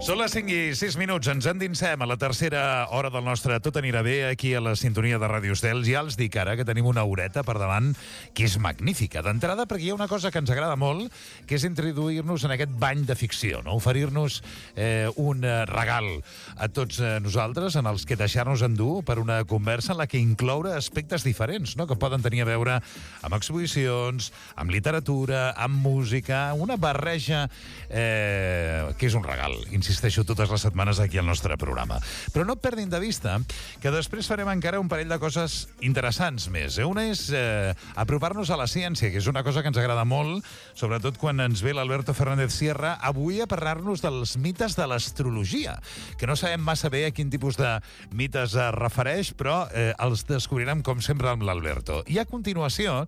Són les 5 i 6 minuts. Ens endinsem a la tercera hora del nostre Tot anirà bé aquí a la sintonia de Ràdio Estel. Ja els dic ara que tenim una horeta per davant que és magnífica. D'entrada perquè hi ha una cosa que ens agrada molt, que és introduir-nos en aquest bany de ficció, no? Oferir-nos un regal a tots nosaltres en els que deixar-nos endur per una conversa en la que incloure aspectes diferents, no? Que poden tenir a veure amb exposicions, amb literatura, amb música, una barreja que és un regal, insisteixo totes les setmanes aquí al nostre programa. Però no perdin de vista que després farem encara un parell de coses interessants més. Una és apropar-nos a la ciència, que és una cosa que ens agrada molt, sobretot quan ens ve l'Alberto Fernández Sierra, avui a parlar-nos dels mites de l'astrologia, que no sabem massa bé a quin tipus de mites es refereix, però els descobrirem, com sempre, amb l'Alberto. I a continuació,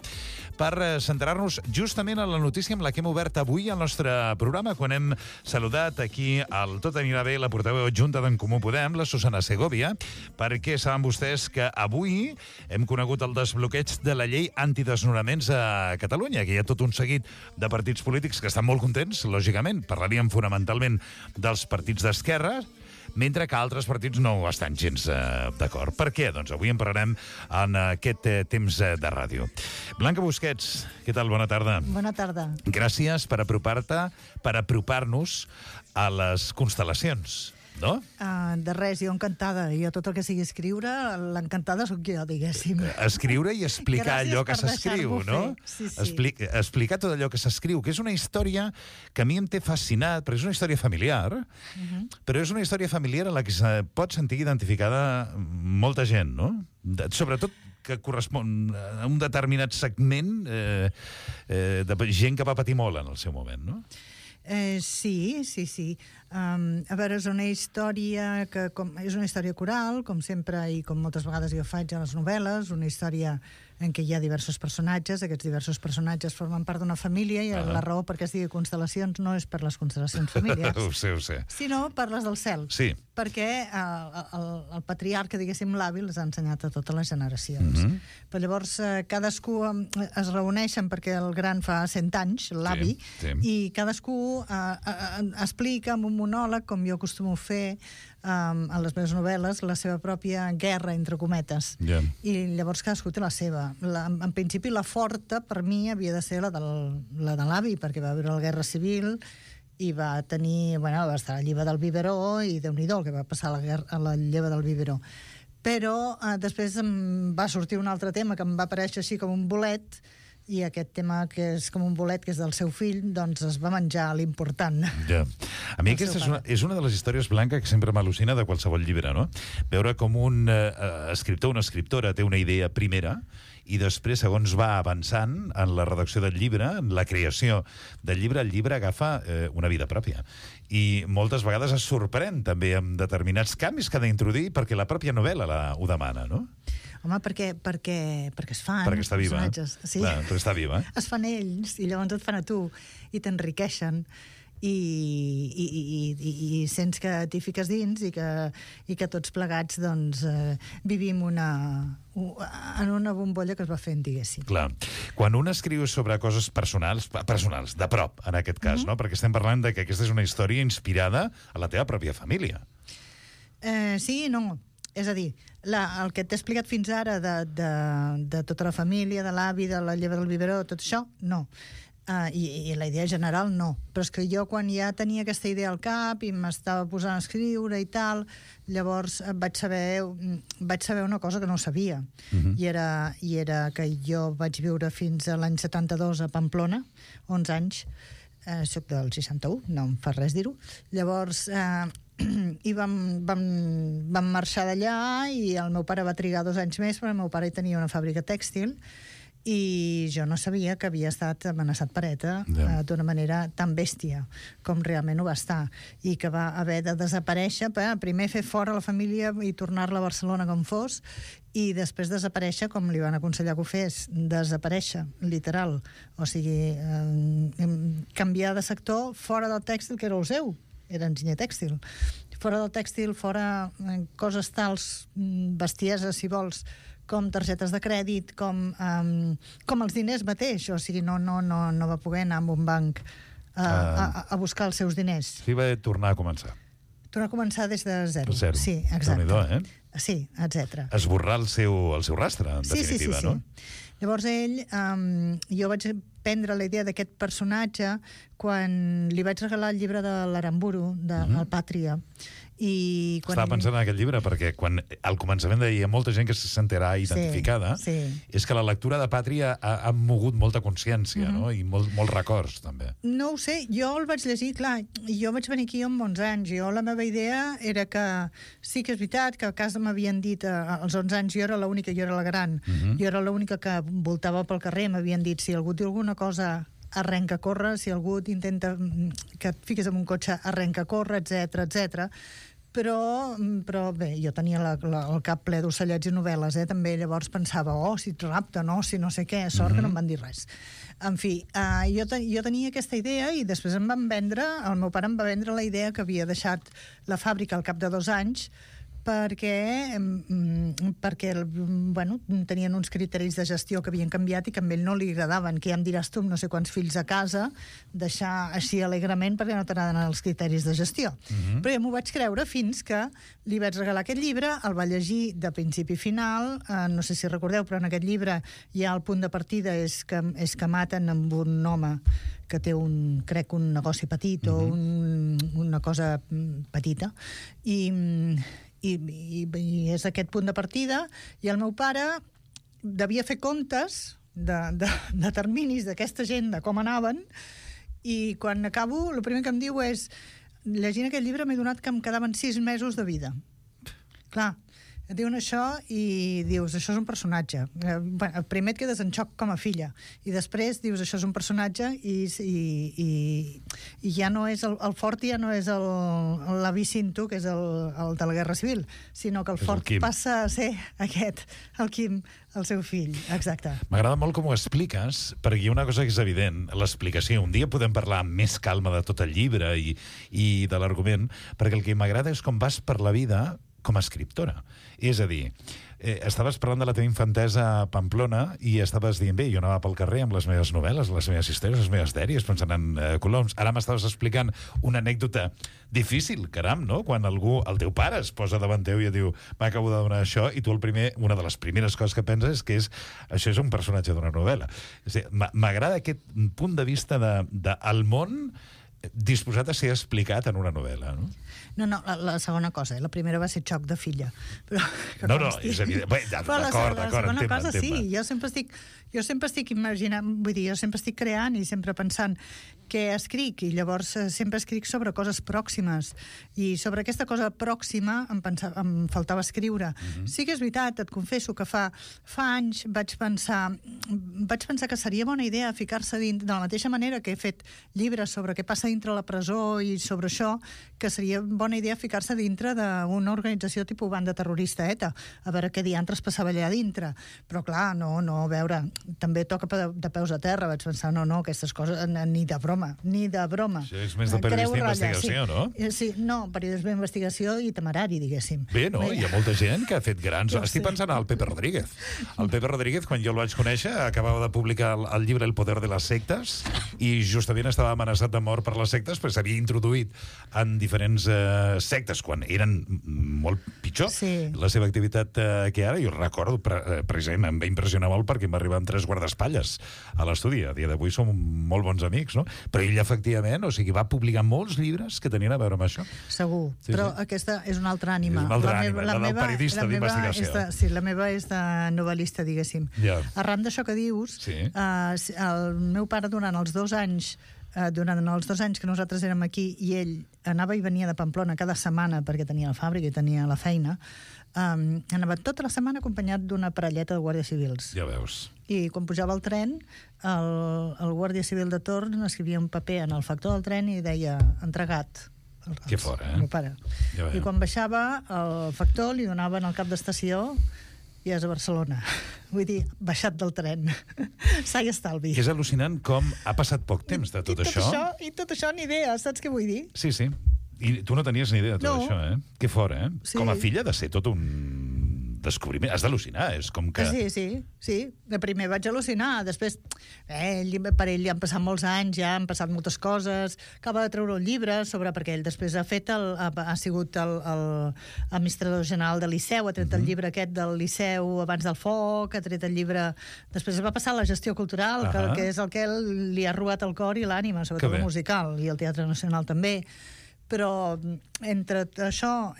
per centrar-nos justament en la notícia amb la que hem obert avui al nostre programa, quan hem saludat aquí al Tot anirà bé la portaveu adjunta d'en Comú Podem, la Susana Segovia, perquè saben vostès que avui hem conegut el desbloqueig de la llei antidesnonaments a Catalunya, que hi ha tot un seguit de partits polítics que estan molt contents, lògicament. Parlaríem fonamentalment dels partits d'esquerra, mentre que altres partits no estan gens d'acord. Per què? Doncs avui en parlarem en aquest temps de ràdio. Blanca Busquets, què tal? Bona tarda. Bona tarda. Gràcies per apropar-nos a les constel·lacions, no? De res, jo encantada. Jo tot el que sigui escriure, l'encantada sóc jo, diguéssim. Escriure i explicar allò que s'escriu, no? Sí, sí. Explicar tot allò que s'escriu, que és una història que a mi em té fascinat, perquè és una història familiar, però és una història familiar en la que se pot sentir identificada molta gent, no? Sobretot que correspon a un determinat segment de gent que va patir molt en el seu moment, no? Sí. A veure, és una història que és una història coral, com sempre i com moltes vegades jo faig a les novel·les, una història en què hi ha diversos personatges. Aquests diversos personatges formen part d'una família i la raó perquè es digui constel·lacions no és per les constel·lacions familiars, ho sé. Sinó per les del cel. Sí. Perquè el patriarca, diguéssim, l'avi, les ha ensenyat a totes les generacions. Però llavors cadascú es reuneixen perquè el gran fa 100 anys, l'avi, i cadascú explica amb un monòleg, com jo acostumo a fer a les meves novel·les, la seva pròpia guerra, entre cometes. I llavors cadascú té la seva. En principi la forta per mi havia de ser la de l'avi, perquè va viure la Guerra Civil i va tenir, va estar a la lleva del biberó i Déu-n'hi-do el que va passar a la lleva del biberó. Però després em va sortir un altre tema que em va aparèixer així com un bolet, i aquest tema que és com un bolet, que és del seu fill, doncs es va menjar l'important. Ja. A mi aquesta és una de les històries, Blanca, que sempre m'al·lucina de qualsevol llibre, no? Veure com un escriptor o una escriptora té una idea primera i després, segons va avançant en la redacció del llibre, en la creació del llibre, el llibre agafa una vida pròpia. I moltes vegades es sorprèn també amb determinats canvis que ha d'introduir perquè la pròpia novel·la ho demana, no? Home, perquè es fan. Perquè està viva. Sí. Clar, perquè està viva. Es fan ells i llavors et fan a tu i t'enriqueixen i sents que t'hi fiques dins i que tots plegats doncs vivim en una bombolla que es va fent, diguéssim. Clar. Quan un escriu sobre coses personals, de prop, en aquest cas, no? Perquè estem parlant de que aquesta és una història inspirada a la teva pròpia família. Sí i no. És a dir, el que t'he explicat fins ara de tota la família, de l'avi, de la lleva del biberó, tot això, no. I la idea general, no. Però és que jo, quan ja tenia aquesta idea al cap i m'estava posant a escriure i tal, llavors vaig saber una cosa que no sabia. I era que jo vaig viure fins a l'any 72 a Pamplona, 11 anys. Soc del 61, no em fa res dir-ho. Llavors i vam marxar d'allà i el meu pare va trigar 2 anys més perquè el meu pare tenia una fàbrica tèxtil i jo no sabia que havia estat amenaçat per ETA d'una manera tan bèstia com realment ho va estar i que va haver de desaparèixer primer fer fora la família i tornar-la a Barcelona com fos i després desaparèixer com li van aconsellar que ho fes, desaparèixer, literal, o sigui canviar de sector fora del tèxtil que era el seu, era enginyer tèxtil, fora del tèxtil, fora coses tals, bestieses si vols, com targetes de crèdit, com els diners mateix, o sigui, no va poder anar a un banc a buscar els seus diners. Sí, va tornar a començar. Però començar des de zero. Zero. Sí, exacte. Déu-n'hi-do, Sí, etc. Esborrar el seu rastre, en definitiva, no? Llavors jo vaig prendre la idea d'aquest personatge quan li vaig regalar el llibre de l'Aramburu, el Pàtria. I quan Estava pensant en aquest llibre perquè quan al començament deia molta gent que se sentirà identificada, és que la lectura de Pàtria ha mogut molta consciència, no? I molts records, també. No ho sé, jo el vaig llegir, clar, jo vaig venir aquí amb 11 anys, la meva idea era que sí que és veritat que a casa m'havien dit, als 11 anys jo era l'única, jo era la gran, jo era l'única que voltava pel carrer, m'havien dit si algú diu alguna cosa arrenca a córrer, si algú intenta que et fiquis en un cotxe arrenca a córrer, etc. Però bé, jo tenia el cap ple d'ocellets i novel·les, també, llavors pensava, si et rapta, no, si no sé què, sort que no em van dir res. En fi, jo tenia aquesta idea i després el meu pare em va vendre la idea que havia deixat la fàbrica al cap de 2 anys perquè tenien uns criteris de gestió que havien canviat i que a ell no li agradaven, que ja em diràs tu amb no sé quants fills a casa, deixar així alegrement perquè no t'agraden els criteris de gestió. Però jo m'ho vaig creure fins que li vaig regalar aquest llibre, el va llegir de principi a final, no sé si recordeu, però en aquest llibre ja el punt de partida és que maten amb un home que té crec un negoci petit o una cosa petita, i és aquest punt de partida, i el meu pare devia fer comptes de terminis d'aquesta gent, de com anaven, i quan acabo, el primer que em diu és llegint aquest llibre m'he donat que em quedaven 6 mesos de vida. Clar, et diuen això i dius, això és un personatge. Primer et quedes en xoc com a filla i després dius, això és un personatge i ja no és el fort, ja no és l'avi Cinto, que és el de la Guerra Civil, sinó que el fort passa a ser aquest, el Quim, el seu fill. Exacte. M'agrada molt com ho expliques, perquè hi ha una cosa que és evident, l'explicació. Un dia podem parlar amb més calma de tot el llibre i de l'argument, perquè el que m'agrada és com vas per la vida com a escriptora. És a dir, estaves parlant de la teva infantesa a Pamplona i estaves dient, bé, jo anava pel carrer amb les meves novel·les, les meves històries, les meves dèries, pensant en coloms. Ara m'estaves explicant una anècdota difícil, caram, no? Quan algú, el teu pare, es posa davant teu i et diu, m'acabo de donar això, i tu una de les primeres coses que penses és que això és un personatge d'una novel·la. M'agrada aquest punt de vista del món disposat a ser explicat en una novel·la, no? No, la segona cosa, la primera va ser xoc de filla. Però, no, és evident. D'acord, la segona cosa, sí, jo sempre estic imaginant, vull dir, jo sempre estic creant i sempre pensant què escric, i llavors sempre escric sobre coses pròximes, i sobre aquesta cosa pròxima em faltava escriure. Sí que és veritat, et confesso que fa anys vaig pensar que seria bona idea ficar-se dintre, de la mateixa manera que he fet llibres sobre què passa dintre la presó i sobre això, que seria bona idea ficar-se dintre d'una organització tipus banda terrorista ETA, a veure què diantres passava allà dintre. Però clar, no, a veure, també toca de peus a terra, vaig pensar, no, aquestes coses, ni de broma. Això és més de periodisme d'investigació, no? Sí, no, periodisme d'investigació i temerari, diguéssim. Bé, no? Hi ha molta gent que ha fet grans... Estic pensant al Pepe Rodríguez. El Pepe Rodríguez, quan jo el vaig conèixer, acabava de publicar el llibre El poder de les sectes i justament estava amenaçat de mort per les sectes, perquè s'havia introduït en diferents sectes, quan eren molt pitjor la seva activitat que ara. Jo recordo, precisament, em va impressionar molt perquè em va arribar amb 3 guardaespatlles a l'estudi. A dia d'avui som molt bons amics, no? Però ell, efectivament, va publicar molts llibres que tenien a veure amb això. Segur, però aquesta és una altra ànima. És una altra ànima, la del periodista d'investigació. Sí, la meva és de novel·lista, diguéssim. Arran d'això que dius, el meu pare durant els 2 anys que nosaltres érem aquí i ell anava i venia de Pamplona cada setmana perquè tenia la fàbrica i tenia la feina, anava tota la setmana acompanyat d'una parelleta de guàrdies civils. Ja veus. I quan pujava al tren, el guàrdia civil de torn escrivia un paper en el factor del tren i deia entregat. Que fort, meu pare. I quan baixava el factor li donaven el cap d'estació i és a Barcelona. Vull dir, baixat del tren. Sa i estalvi. Que és al·lucinant com ha passat poc temps de tot això. I tot això ni idea, saps què vull dir? Sí. I tu no tenies ni idea de tot això, eh? Que fort, eh? Sí. Com a filla de ser tot un descobriment. Has d'al·lucinar, és com que... Sí. De primer vaig al·lucinar, després per ell ja han passat molts anys, ja han passat moltes coses, acaba de treure un llibre perquè ell després ha sigut l'administrador general del Liceu, ha tret el llibre aquest del Liceu abans del foc, ha tret el llibre... Després va passar a la gestió cultural, que és el que li ha robat el cor i l'ànima, sobretot el musical, i el Teatre Nacional també. Però entre això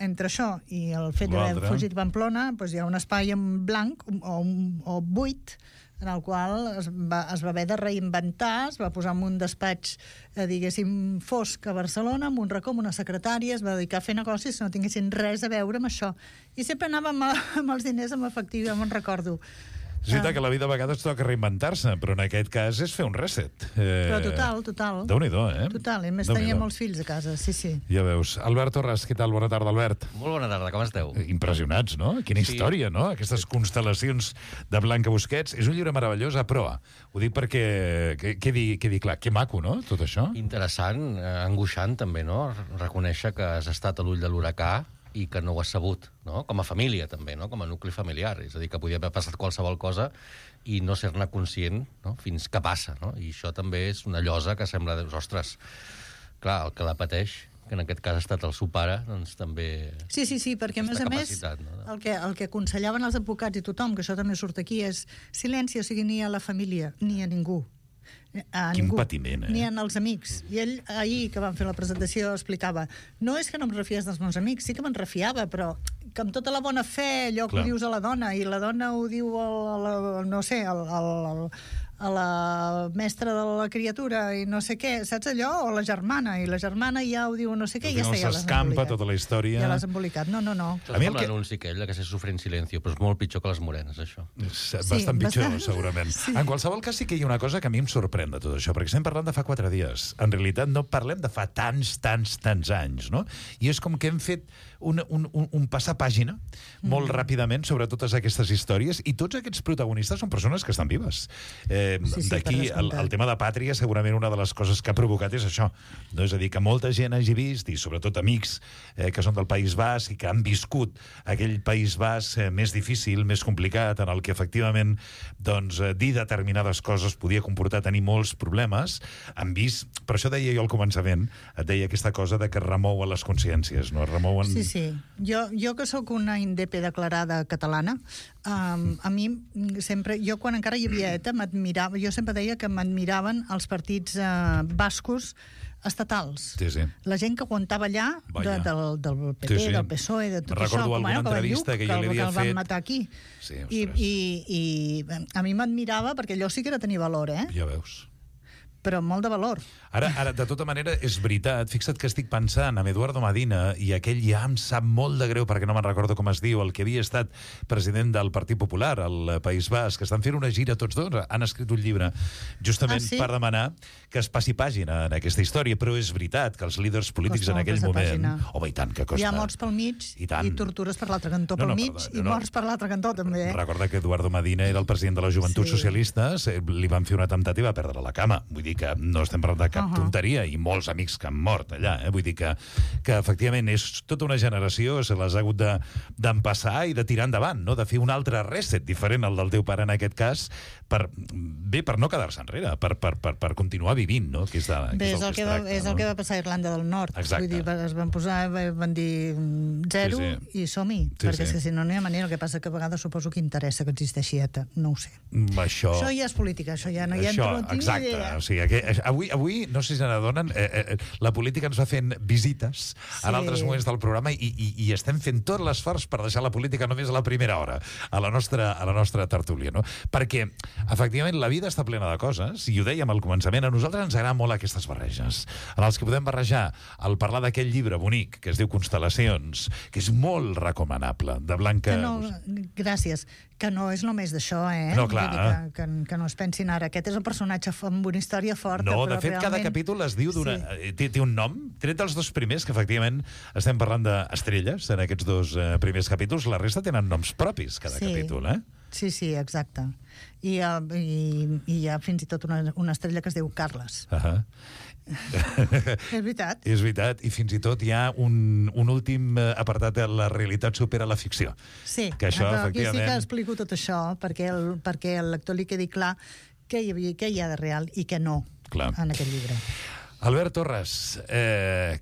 i el fet d'haver fugit a Pamplona, doncs hi ha un espai en blanc o buit en el qual es va haver de reinventar, es va posar en un despatx, diguéssim, fosc a Barcelona, amb un racó, amb una secretària, es va dedicar a fer negocis que no tinguessin res a veure amb això. I sempre anava amb els diners en efectiu, ja me'n recordo. És veritat que la vida a vegades toca reinventar-se, però en aquest cas és fer un reset. Però total. Déu-n'hi-do, Total, i més tenia molts fills a casa, sí. Ja veus. Albert Torres, què tal? Bona tarda, Albert. Molt bona tarda, com esteu? Impressionats, no? Quina història, no? Aquestes constel·lacions de Blanca Busquets. És un llibre meravellós a proa. Ho dic perquè quedi clar. Que maco, no?, tot això. Interessant, angoixant també, no? Reconèixer que has estat a l'ull de l'huracà i que no ho has sabut, no? Com a família, també, no? Com a nucli familiar. És a dir, que podia haver passat qualsevol cosa i no ser-ne conscient, no? Fins que passa, no? I això també és una llosa que sembla... Ostres, clar, el que la pateix, que en aquest cas ha estat el seu pare, doncs també... Sí, perquè a més, no? el que aconsellaven els advocats i tothom, que això també surt aquí, és silenci, o sigui, ni a la família, ni a ningú. Quin patiment, ni en els amics. I ell, ahir que vam fer la presentació, explicava, no és que no em refies dels meus amics, sí que me'n refiava, però que amb tota la bona fe, allò que ho dius a la dona, i la dona ho diu a la mestra de la criatura i no sé què, saps allò? O la germana, i la germana ja ho diu no sé què, i ja està, ja l'has s'escampa tota la història. Ja l'has embolicat. No. A mi l'anunci aquell, que se sufre en silenci, però és molt pitjor que les morenes, això. Bastant pitjor, segurament. Sí. En qualsevol cas, sí que hi ha una cosa que a mi em sorprèn de tot això, perquè estem parlant de fa 4 dies. En realitat no parlem de fa tants anys, no? I és com que hem fet un passapàgina molt ràpidament sobre totes aquestes històries, i tots aquests protagonistes són persones que estan vives. D'aquí el tema de Pàtria, segurament una de les coses que ha provocat és això, no? És a dir, que molta gent hagi vist, i sobretot amics que són del País Basc i que han viscut aquell País Basc més difícil, més complicat, en el que efectivament dir determinades coses podia comportar tenir molts problemes, han vist, per això deia jo al començament, et deia aquesta cosa de que remouen les consciències, no? Remouen... Sí. Jo que sóc una INDEP declarada catalana, a mi sempre, jo quan encara hi havia ETA, jo sempre deia que m'admiraven els partits bascos estatals. Sí. La gent que aguantava allà del PP, del PSOE, de tot això. Recordo alguna entrevista que jo li havia fet. Que el van matar aquí. Sí, I a mi m'admirava perquè allò sí que era tenir valor, Ja veus. Però molt de valor. Ara, de tota manera, és veritat. Fixa't que estic pensant en Eduardo Medina i aquell ja em sap molt de greu perquè no me'n recordo com es diu, el que havia estat president del Partit Popular al País Basc, que estan fent una gira tots dos, han escrit un llibre justament per demanar que es passi pàgina en aquesta història, però és veritat que els líders polítics en aquell moment... Home, i tant, que costa. Hi ha morts pel mig i tortures per l'altre cantó pel mig i morts per l'altre cantó també. Recorda que Eduardo Medina era el president de les Joventuts Socialistes, li van fer un atemptat i va perdre la cama. Vull dir que no estem parlant de cap tonteria, i molts amics que han mort allà. Vull dir que efectivament és tota una generació, se les ha hagut d'empassar i de tirar endavant, no? De fer un altre reset diferent al del teu pare en aquest cas, per no quedar-se enrere, per continuar vivint, no? Que és el que va passar a Irlanda del Nord. Exacte. Vull dir, es van posar, van dir 0 i som-hi, perquè és que si no hi ha manera. El que passa que a vegades suposo que interessa que existeixi ETA, no ho sé. Això ja és política, això ja no hi entra, no tinc ni idea. O sigui, avui, no sé si se n'adonen, la política ens va fent visites en altres moments del programa i estem fent tot l'esforç per deixar la política només a la primera hora, a la nostra tertúlia, no? Perquè, efectivament, la vida està plena de coses, i ho dèiem al començament, a nosaltres ens agraden molt aquestes barreges, en els que podem barrejar el parlar d'aquell llibre bonic que es diu Constel·lacions, que és molt recomanable, de Blanca... Gràcies. Que no és només d'això, No, clar. Que no es pensin ara. Aquest és un personatge amb una història forta, no, però de fet, cada capítol es diu té un nom, tret dels 2 primers, que efectivament estem parlant d'estrelles en aquests 2 primers capítols, la resta tenen noms propis, cada capítol, Sí, exacte. I hi ha fins i tot una estrella que es diu Carles. És veritat. És veritat, i fins i tot hi ha un últim apartat de la realitat supera la ficció. Sí, que això, però aquí efectivament... sí que explico tot això perquè al lector li quedi clar què hi ha de real i què no en aquest llibre. Albert Torres,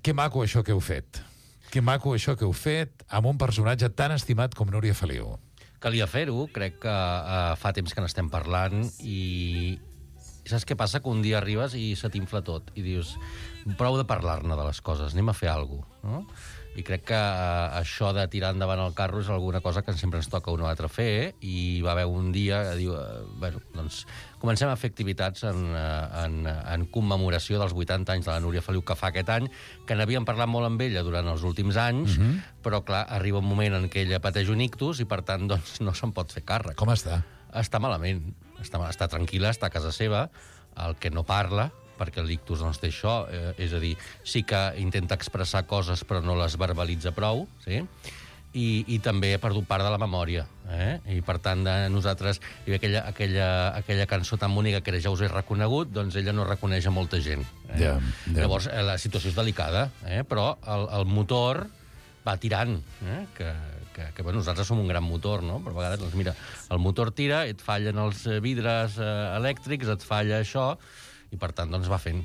que maco això que heu fet. Que maco això que heu fet amb un personatge tan estimat com Núria Feliu. Calia fer-ho, crec que fa temps que n'estem parlant i saps què passa? Que un dia arribes i se t'infla tot i dius, prou de parlar-ne de les coses, anem a fer alguna cosa, no? I crec que això de tirar endavant el carro és alguna cosa que sempre ens toca un o altre fer, i va haver un dia que diu, bueno, doncs comencem a fer activitats en commemoració dels 80 anys de la Núria Feliu que fa aquest any, que n'havíem parlat molt amb ella durant els últims anys, però clar, arriba un moment en què ella pateix un ictus i per tant doncs, no se'n pot fer càrrec. Com està? Està malament, està tranquil·la, està a casa seva, el que no parla, perquè l'ictus doncs, té això, és a dir, sí que intenta expressar coses però no les verbalitza prou, sí? I també ha perdut part de la memòria, i per tant nosaltres, hi havia aquella cançó tan bonica que era Ja us he reconegut, doncs ella no reconeix a molta gent. Llavors la situació és delicada, però el motor va tirant, que nosaltres som un gran motor, no? Però a vegades, doncs mira, el motor tira, et fallen els vidres elèctrics, et falla això, i per tant doncs va fent.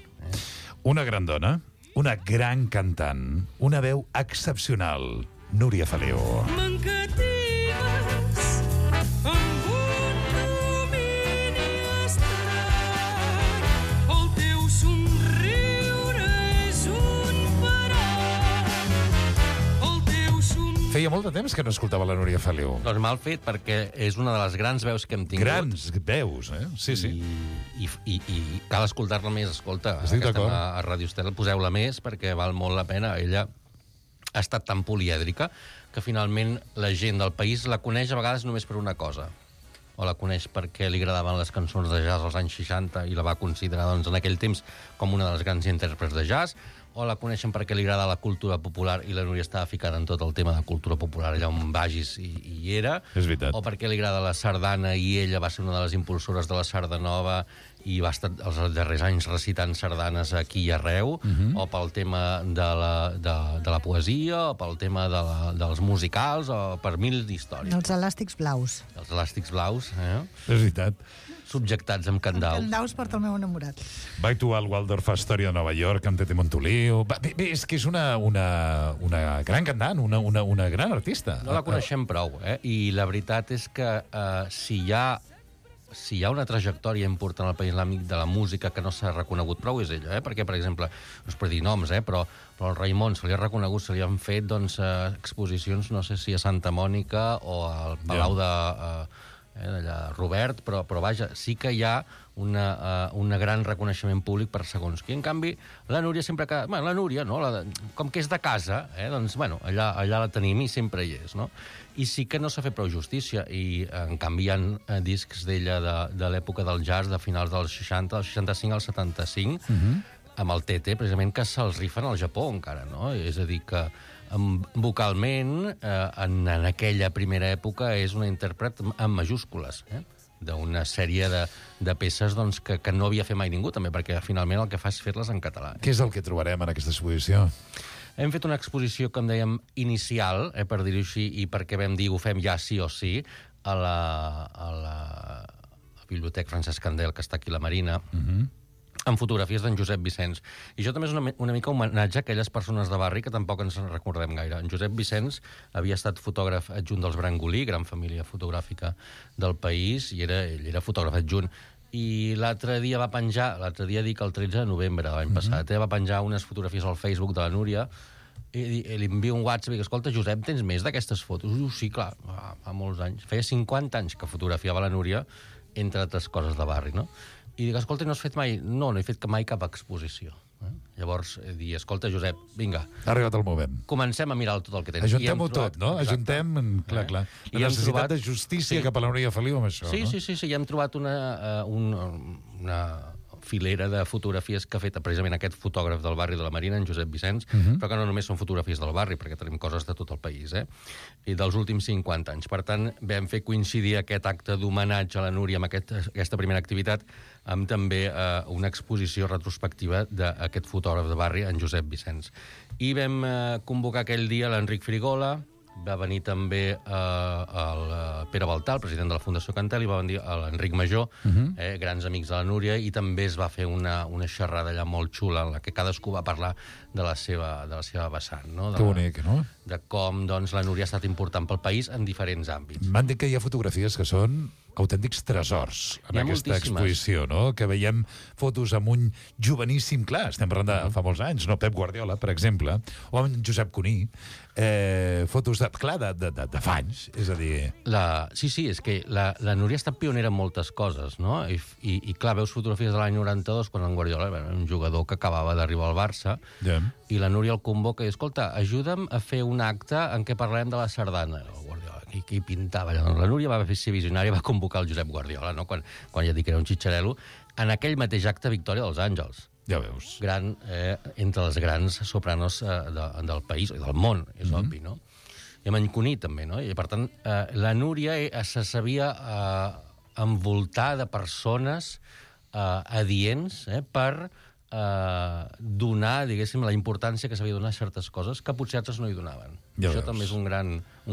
Una gran dona, una gran cantant, una veu excepcional, Núria Feliu. M'encatives amb un domini estelar, el teu somriure és un parar, el teu somriure... Feia molt de temps que no escoltava la Núria Feliu. Doncs mal fet, perquè és una de les grans veus que hem tingut. Grans veus, Sí. I cal escoltar-la més, escolta. Estic d'acord. A Ràdio Estel, poseu-la més, perquè val molt la pena. Ella ha estat tan polièdrica que finalment la gent del país la coneix a vegades només per una cosa. O la coneix perquè li agradaven les cançons de jazz als anys 60 i la va considerar doncs, en aquell temps com una de les grans intèrprets de jazz, o la coneixen perquè li agrada la cultura popular i la Núria estava ficada en tot el tema de cultura popular allà on vagis i hi era. És veritat. O perquè li agrada la sardana i ella va ser una de les impulsores de la sardanova i va estar els darrers anys recitant sardanes aquí i arreu, o pel tema de la poesia, o pel tema dels musicals, o per mil d'històries. Els elàstics blaus. Els elàstics blaus, És veritat. subjectats amb candaus. Candaus porta el meu enamorat. Va actuar al Waldorf Astoria de Nova York amb Tete Montoliu. Bé, és que és una gran cantant, una gran artista. No la coneixem prou, I la veritat és que si hi ha una trajectòria important al país islàmic de la música que no s'ha reconegut prou és ella, perquè, per exemple, no és per dir noms, però el Raimon se li ha reconegut, se li han fet doncs, exposicions, no sé si a Santa Mònica o al Palau d'allà Robert, però vaja, sí que hi ha un gran reconeixement públic per segons qui. En canvi, la Núria sempre que... Bueno, la Núria, no? Com que és de casa, doncs, bueno, allà la tenim i sempre hi és, no? I sí que no s'ha fet prou justícia, i en canvi hi ha discs d'ella de l'època del jazz, de finals dels 60, del 65 al 75, amb el Tete, precisament, que se'ls rifen al Japó encara, no? És a dir, que vocalment, en aquella primera època, és una intèrpret amb majúscules, d'una sèrie de peces doncs, que no havia fet mai ningú, també, perquè finalment el que fa és fer-les en català. Què és el que trobarem en aquesta exposició? Hem fet una exposició, com dèiem, inicial, per dir-ho així, i perquè vam dir ho fem ja sí o sí, a la Biblioteca Francesc Candel, que està aquí a la Marina, amb fotografies d'en Josep Vicenç. I això també és una mica homenatge a aquelles persones de barri que tampoc ens recordem gaire. En Josep Vicenç havia estat fotògraf adjunt dels Brangolí, gran família fotogràfica del país, i ell era fotògraf adjunt. I l'altre dia dic el 13 de novembre de l'any passat, va penjar unes fotografies al Facebook de la Núria, i li envio un WhatsApp i dic, escolta, Josep, tens més d'aquestes fotos? Diu, sí, clar, fa molts anys. Feia 50 anys que fotografiava la Núria, entre altres coses de barri, no? I dic, escolta, no has fet mai... No he fet mai cap exposició. Llavors, dir, escolta, Josep, vinga. Ha arribat el moment. Comencem a mirar tot el que tens. Ajuntem-ho tot, no? Ajuntem, clar. La necessitat de justícia cap a la Núria Feliu amb això, no? Sí, i hem trobat filera de fotografies que ha fet precisament aquest fotògraf del barri de la Marina, en Josep Vicenç, però que no només són fotografies del barri, perquè tenim coses de tot el país, i dels últims 50 anys. Per tant, vam fer coincidir aquest acte d'homenatge a la Núria amb aquesta primera activitat amb també una exposició retrospectiva d'aquest fotògraf de barri, en Josep Vicenç. I vam convocar aquell dia l'Enric Frigola, va venir també el Pere Baltà, el president de la Fundació Cantel, i va venir l'Enric Major, grans amics de la Núria, i també es va fer una xerrada allà molt xula en la que cadascú va parlar de la seva vessant. No? Que bonic, no? De com doncs, la Núria ha estat important pel país en diferents àmbits. M'han dit que hi ha fotografies que són autèntics tresors en aquesta exposició, no? Que veiem fotos amb un joveníssim, clar, estem parlant de fa molts anys, no? Pep Guardiola, per exemple, o amb Josep Cuní, fotos de fa anys, és a dir... Sí, és que la Núria ha estat pionera en moltes coses, no? I clar, veus fotografies de l'any 92, quan en Guardiola era un jugador que acabava d'arribar al Barça, i la Núria el convoca i diu, escolta, ajuda'm a fer un acte en què parlem de la sardana. El Guardiola, qui pintava? La Núria va ser visionària, va convocar el Josep Guardiola, no? Quan ja dic que era un xitxarel·lo, en aquell mateix acte Victòria dels Àngels. Ja veus. Gran, entre les grans sopranos del país, i del món, és obvi, no? I amb en Cuní, també, no? I, per tant, la Núria se sabia envoltar de persones adients per donar, diguéssim, la importància que s'havia de donar a certes coses que potser altres no hi donaven. Ja Això veus. també és un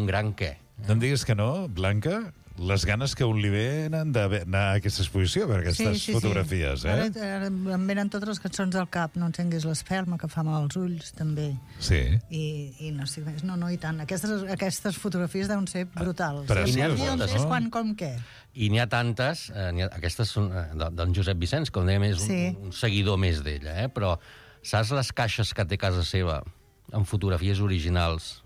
gran què. No em diguis que no, Blanca, les ganes que un li venen d'anar a aquesta exposició per aquestes fotografies, Ara em venen totes les cançons al cap, no encenguis l'espelma, que fa mal als ulls, també. Sí. I no estic més. No, i tant. Aquestes fotografies deuen ser brutals. Precioses, I on és, quan, com, què. I n'hi ha tantes, aquestes són d'en Josep Vicenç, com dèiem, és un seguidor més d'ella, però saps les caixes que té a casa seva amb fotografies originals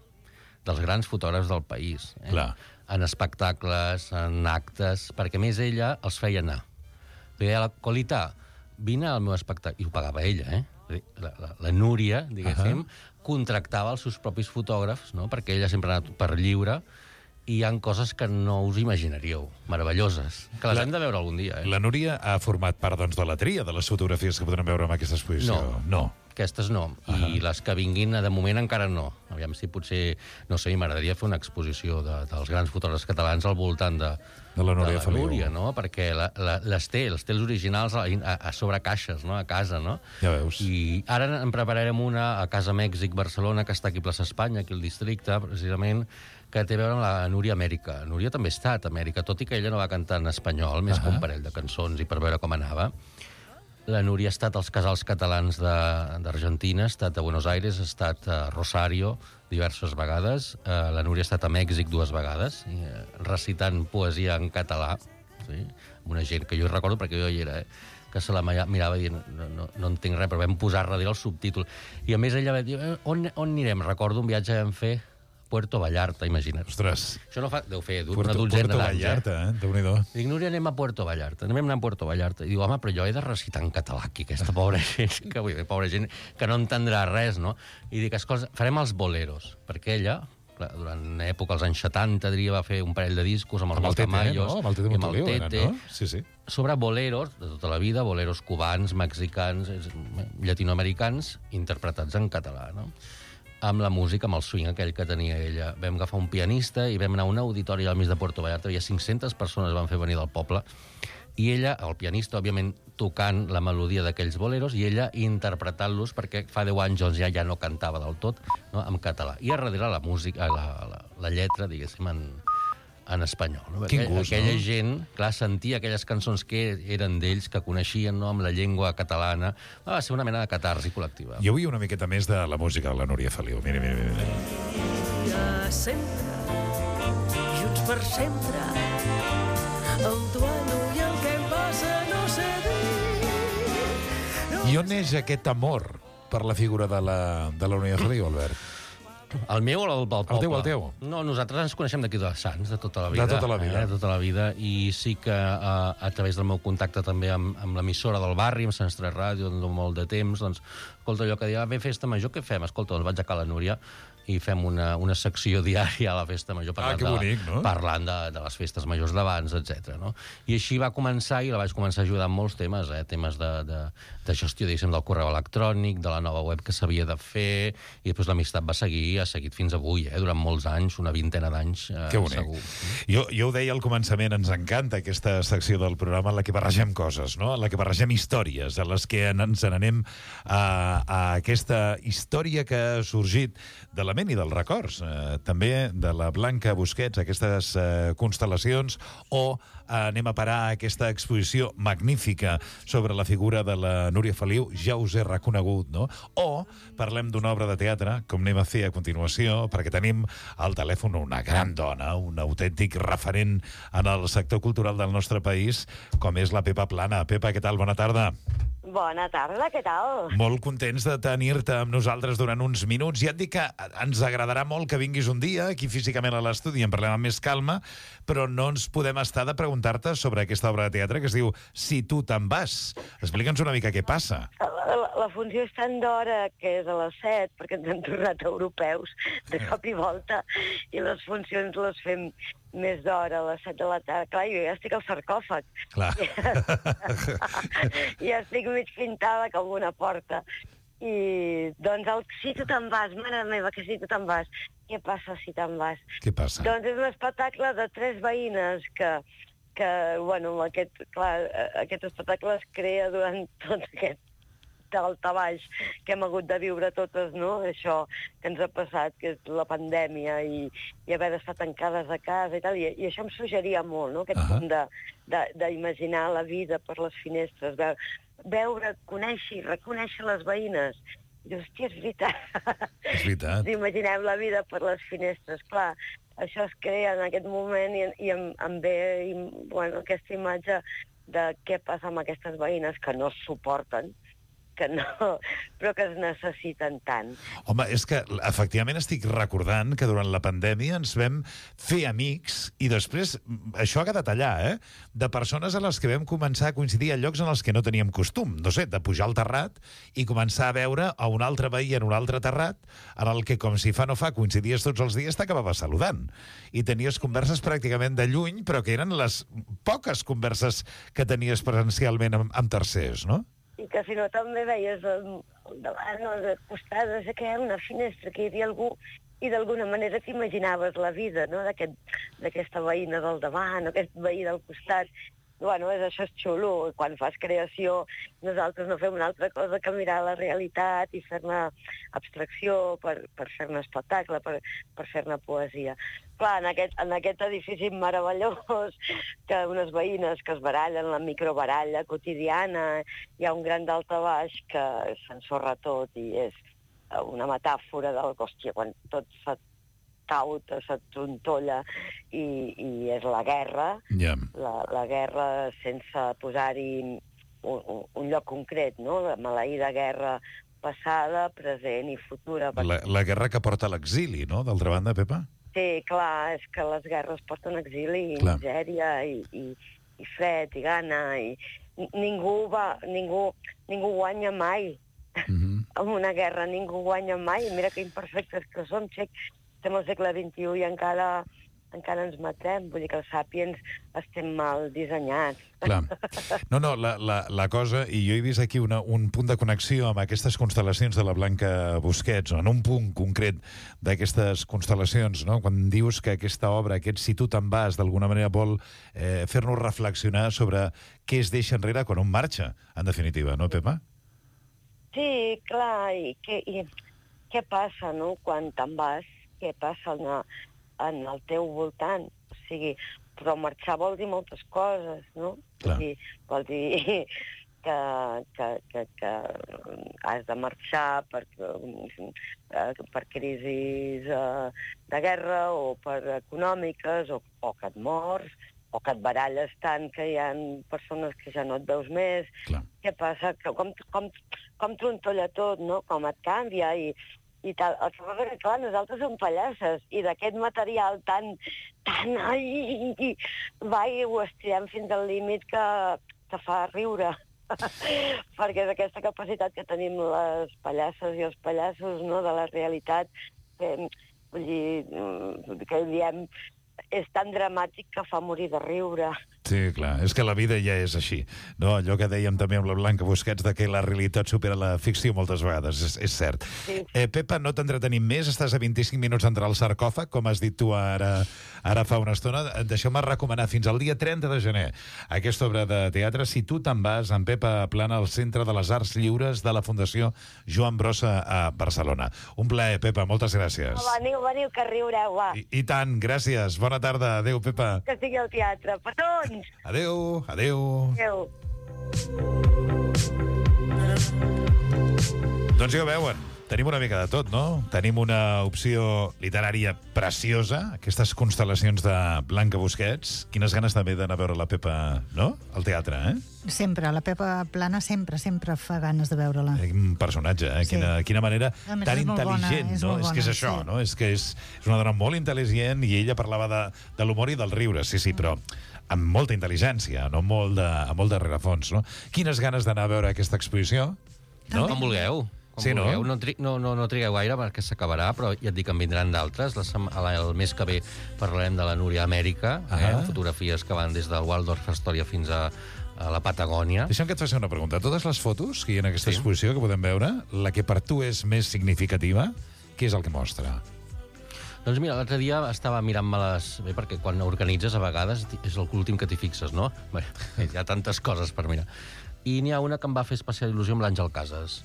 dels grans fotògrafs del país? Clar. En espectacles, en actes, perquè més ella els feia anar. Li deia, Colita, vine al meu espectacle. I ho pagava ella, La Núria, diguéssim, contractava els seus propis fotògrafs, no? Perquè ella sempre ha anat per lliure, i hi ha coses que no us imaginaríeu, meravelloses, que les hem de veure algun dia. La Núria ha format part, doncs, de la tria de les fotografies que podrem veure en aquesta exposició. No. Aquestes no. I les que vinguin, de moment, encara no. Aviam si potser, no sé, m'agradaria fer una exposició dels grans fotògrafs catalans al voltant de la Núria, no? Perquè les té els originals a sobre caixes, no? A casa, no? Ja veus. I ara en prepararem una a Casa Mèxic, Barcelona, que està aquí a Plaça Espanya, aquí al districte, precisament, que té a veure amb la Núria Amèrica. La Núria també ha estat a Amèrica, tot i que ella no va cantar en espanyol, més que un parell de cançons i per veure com anava. La Núria ha estat als casals catalans d'Argentina, ha estat a Buenos Aires, ha estat a Rosario diverses vegades. La Núria ha estat a Mèxic 2 vegades, recitant poesia en català, amb una gent que jo recordo perquè jo hi era, que se la mirava dient no entenc res, però vam posar darrere el subtítol. I a més ella va dir, on anirem? Recordo un viatge que vam fer Puerto Vallarta, imagina't. Ostres. Això no fa... Deu fer una dotzena d'anys. Puerto Vallarta, Déu-n'hi-do. Dic, Núria, anem a Puerto Vallarta. Anem a Puerto Vallarta. I diu, home, però jo he de recitar en català aquí, aquesta pobra gent, pobra gent que no entendrà res, no? I dic, escolta, farem els boleros, perquè ella, durant època, als anys 70, diria, va fer un parell de discos amb els Maltamayos. Amb el Tete Montoliu, no? Sí. Sobre boleros, de tota la vida, boleros cubans, mexicans, llatinoamericans, interpretats en català, no? Amb la música, amb el swing aquell que tenia ella. Vam agafar un pianista i vam anar a un auditori al mig de Puerto Vallarta. Hi ha 500 persones van fer venir del poble. I ella, el pianista, òbviament, tocant la melodia d'aquells boleros i ella interpretant-los, perquè fa 10 anys doncs, ja no cantava del tot, no? En català. I a darrere la música, la lletra, diguéssim, en espanyol. No? Quin gust, aquella no? gent, clar, sentia aquelles cançons que eren d'ells, que coneixien, no?, amb la llengua catalana. Va ser una mena de catarsi col·lectiva. Jo vull una miqueta més de la música de la Núria Feliu. Mira. Sempre, junts per sempre, el duelo i el que em passa no sé dir. I on neix aquest amor per la figura de la Núria Feliu, Albert? El meu o el del poble? El teu. No, nosaltres ens coneixem d'aquí de Sants, de tota la vida. De tota la vida. De tota la vida, i sí que a través del meu contacte també amb l'emissora del barri, amb Sants 3 Ràdio, de molt de temps, doncs, escolta, allò que deia, ve festa major, què fem? Escolta, doncs vaig a Cala Núria, i fem una secció diària a la festa major que bonic, no? Parlant de les festes majors d'abans, etc. No? I així va començar, i la vaig començar a ajudar en molts temes, temes de gestió, diguéssim, del correu electrònic, de la nova web que s'havia de fer, i després l'amistat va seguir, ha seguit fins avui, durant molts anys, una vintena d'anys, segur. Jo ho deia al començament, ens encanta aquesta secció del programa en la que barregem coses, no? En la que barregem històries, en les que ens n'anem a aquesta història que ha sorgit de la ment i dels records, també de la Blanca Busquets, aquestes constel·lacions, o anem a parar a aquesta exposició magnífica sobre la figura de la Núria Feliu, ja us he reconegut, no? O parlem d'una obra de teatre, com anem a fer a continuació, perquè tenim al telèfon una gran dona, un autèntic referent en el sector cultural del nostre país, com és la Pepa Plana. Pepa, què tal? Bona tarda. Bona tarda, què tal? Molt contents de tenir-te amb nosaltres durant uns minuts. Ja et dic que ens agradarà molt que vinguis un dia aquí físicament a l'estudi i en parlem amb més calma, però no ens podem estar de preguntar-te sobre aquesta obra de teatre que es diu Si tu te'n vas. Explica'ns una mica què passa. La funció és tan d'hora que és a les 7, perquè ens hem tornat europeus de cop i volta, i les funcions les fem més d'hora, a les 7 de la tarda. Clar, jo ja estic al sarcòfag. Clar. Ja estic mig pintada com una porta. I, doncs, Si tu te'n vas, mare meva, que si tu te'n vas. Què passa si te'n vas? Què passa? Doncs és un espectacle de 3 veïnes que bueno, aquest espectacle es crea durant tot aquest daltabaix que hem hagut de viure totes, no? Això que ens ha passat, que és la pandèmia i haver d'estar tancades a casa i tal, i això em suggeria molt, no? Aquest punt d'imaginar la vida per les finestres, veure, conèixer, reconèixer les veïnes. I hòstia, és veritat. És veritat. Imaginem la vida per les finestres. Clar, això es crea en aquest moment i em ve aquesta imatge de què passa amb aquestes veïnes que no es suporten, que no, però que es necessiten tant. Home, és que efectivament estic recordant que durant la pandèmia ens vam fer amics i després, això ha quedat allà, de persones a les que vam començar a coincidir a llocs en els que no teníem costum, no sé, de pujar al terrat i començar a veure a un altre veí en un altre terrat, en el que, com si fa no fa, coincidies tots els dies, t'acabaves saludant. I tenies converses pràcticament de lluny, però que eren les poques converses que tenies presencialment amb tercers, no? I que si no també veies al davant o al costat, no sé què, una finestra, que hi havia algú, i d'alguna manera t'imaginaves la vida, no?, d'aquesta veïna del davant o aquest veí del costat. Bueno, això és xulo. Quan fas creació, nosaltres no fem una altra cosa que mirar la realitat i fer-ne abstracció per fer-ne espectacle, per fer-ne poesia. Clar, en aquest edifici meravellós, que unes veïnes que es barallen, la microbaralla quotidiana, hi ha un gran daltabaix que s'ensorra tot i és una metàfora del que, hòstia, quan tot cauta, s'atrontolla i és la guerra, la guerra sense posar-hi un lloc concret, no? La maleïda guerra passada, present i futura. La guerra que porta a l'exili, no?, d'altra banda, Pepa? Sí, clar, és que les guerres porten exili i misèria i fred i gana i ningú guanya mai. En una guerra ningú guanya mai. Mira que imperfectes que som, estem al segle XXI i encara ens matem. Vull dir que els sàpiens estem mal dissenyats. Clar. No, la cosa, i jo he vist aquí un punt de connexió amb aquestes constel·lacions de la Blanca Busquets, en un punt concret d'aquestes constel·lacions, no? Quan dius que aquesta obra, aquest Si tu te'n vas, d'alguna manera vol fer-nos reflexionar sobre què es deixa enrere quan un marxa, en definitiva, no, Pepa? Sí, clar, i què passa, no?, quan te'n vas, què passa en el teu voltant. O sigui, però marxar vol dir moltes coses, no? Vol dir que has de marxar per crisis de guerra o per econòmiques, o que et mors, o que et baralles tant que hi ha persones que ja no et veus més. Què passa? Com trontolla tot, no? Com et canvia i tal. El que passa que, clar, nosaltres som pallasses i d'aquest material tan... ho estirem fins al límit que fa riure. Perquè és aquesta capacitat que tenim les pallasses i els pallassos, no?, de la realitat, vull dir, que diem, és tan dramàtic que fa morir de riure. Sí, clar, és que la vida ja és així. No, allò que dèiem també amb la Blanca Busquets, de que la realitat supera la ficció moltes vegades, és cert. Sí. Pepa, no t'entretenim més, estàs a 25 minuts d'entrar al sarcòfag, com has dit tu ara fa una estona. Deixeu-me recomanar fins al dia 30 de gener aquesta obra de teatre. Si tu te'n vas, en Pepa Plana, al Centre de les Arts Lliures de la Fundació Joan Brossa a Barcelona. Un plaer, Pepa, moltes gràcies. Veniu, que riureu, va. I tant, gràcies. Bona tarda. Adéu, Pepa. Que sigui al teatre. Petons! Adéu, adéu. Adéu. Doncs ja ho veuen, tenim una mica de tot, no? Tenim una opció literària preciosa, aquestes constel·lacions de Blanca Busquets. Quines ganes també d'anar a veure la Pepa, no? Al teatre, Sempre, la Pepa Plana sempre fa ganes de veure-la. Un personatge, Sí. Quina manera A més, tan és molt bona, intel·ligent, és no? molt És que és bona, això, sí. no? És que és una dona molt intel·ligent i ella parlava de l'humor i del riure, sí, però amb molta intel·ligència, no? Amb molt de rerefons, no? Quines ganes d'anar a veure aquesta exposició, no? Com vulgueu. Com Sí, no? vulgueu. No trigueu gaire perquè s'acabarà, però ja et dic que en vindran d'altres. El mes que ve parlarem de la Núria Amèrica, amb fotografies que van des del Waldorf Astoria fins a la Patagònia. Deixa'm que et faci una pregunta. Totes les fotos que hi ha en aquesta exposició que podem veure, la que per tu és més significativa, què és el que mostra? Doncs mira, l'altre dia estava mirant-me-les... Bé, perquè quan organitzes a vegades és l'últim que t'hi fixes, no? Bé, hi ha tantes coses per mirar. I n'hi ha una que em va fer especial il·lusió amb l'Àngel Casas.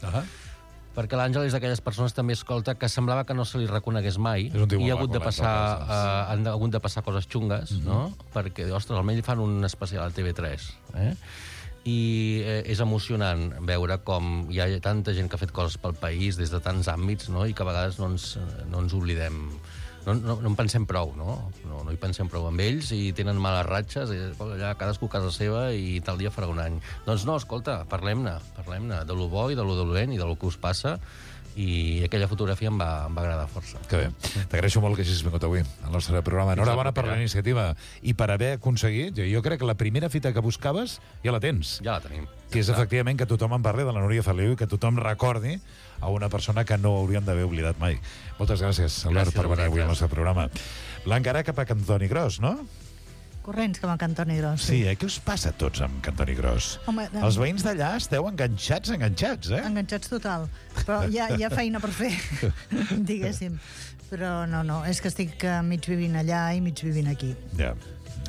Perquè l'Àngel és d'aquelles persones també, escolta, que semblava que no se li reconegués mai. És un tio I ha molt hagut de maco, passar, l'Àngel Casas. han hagut de passar coses xungues, no? Perquè, ostres, almenys fan un especial a TV3, I és emocionant veure com hi ha tanta gent que ha fet coses pel país des de tants àmbits, no? I que a vegades no ens oblidem. No en pensem prou, no? No hi pensem prou amb ells i tenen males ratxes, i allà cadascú a casa seva i tal dia farà un any. Doncs no, escolta, parlem-ne de lo bo i de lo dolent i de lo que us passa, i aquella fotografia em va agradar força. Que bé. T'agraeixo molt que hagis vingut avui al nostre programa. Enhorabona per la iniciativa i per haver aconseguit, jo crec que la primera fita que buscaves ja la tens. Ja la tenim. Que és efectivament que tothom en parli de la Núria Feliu i que tothom recordi a una persona que no hauríem d'haver oblidat mai. Moltes gràcies, Albert, per venir avui al nostre programa. Blanca, ara cap a Cantoni Gros, no? Corrents com a Cantoni Gros. Sí, què us passa a tots amb Cantoni Gros? Home, Els veïns d'allà esteu enganxats, Enganxats total. Però hi ha feina per fer, diguéssim. Però no, és que estic mig vivint allà i mig vivint aquí. Ja.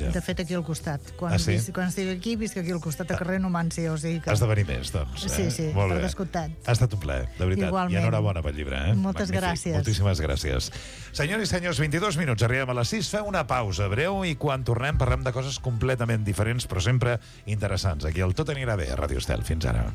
De fet, aquí al costat. Quan sí? quan estic aquí, visc aquí al costat, a carrer Numància, o sigui que... Has de venir més, doncs. Sí, Molt per bé. descomptat. Ha estat un plaer, de veritat. Igualment. I enhorabona pel llibre, Moltes Magnífic. gràcies. Moltíssimes gràcies. Senyors i senyors, 22 minuts, arribem a les 6. Feu una pausa breu i quan tornem parlem de coses completament diferents, però sempre interessants. Aquí el Tot anirà bé, a Ràdio Estel. Fins ara.